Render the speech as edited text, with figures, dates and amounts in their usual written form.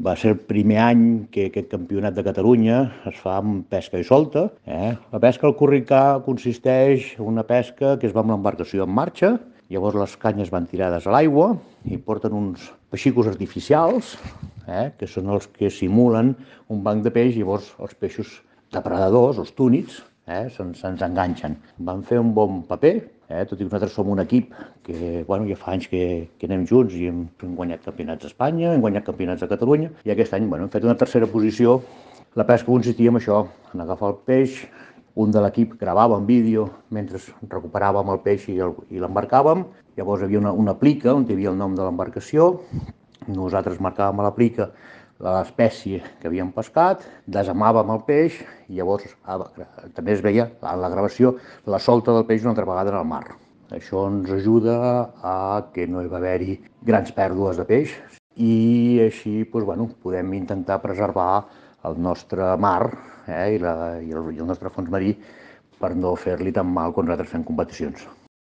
Va ser el primer any que aquest campionat de Catalunya es fa amb pesca i solta. La pesca al curricà consisteix en una pesca que es va amb l'embarcació en marxa, llavors les canyes van tirades a l'aigua i porten uns peixicos artificials, que són els que simulen un banc de peix, i llavors els peixos depredadors, els túnids, se'ns enganxen. Van fer un bon paper, tot i que nosaltres som un equip que ja fa anys que anem junts i hem guanyat campionats d'Espanya, hem guanyat campionats de Catalunya, i aquest any hem fet una tercera posició. La pesca consistia en això, en agafar el peix, un de l'equip gravava en vídeo mentre recuperàvem el peix i l'embarcàvem, llavors hi havia una plica on hi havia el nom de l'embarcació, nosaltres marcàvem a la plica l'espècie que havíem pescat, desamàvem el peix i llavors també es veia a la gravació la solta del peix una altra vegada en el mar. Això ens ajuda a que no hi va haver-hi grans pèrdues de peix i així podem intentar preservar el nostre mar i el nostre fons marí per no fer-li tan mal quan nosaltres fem competicions.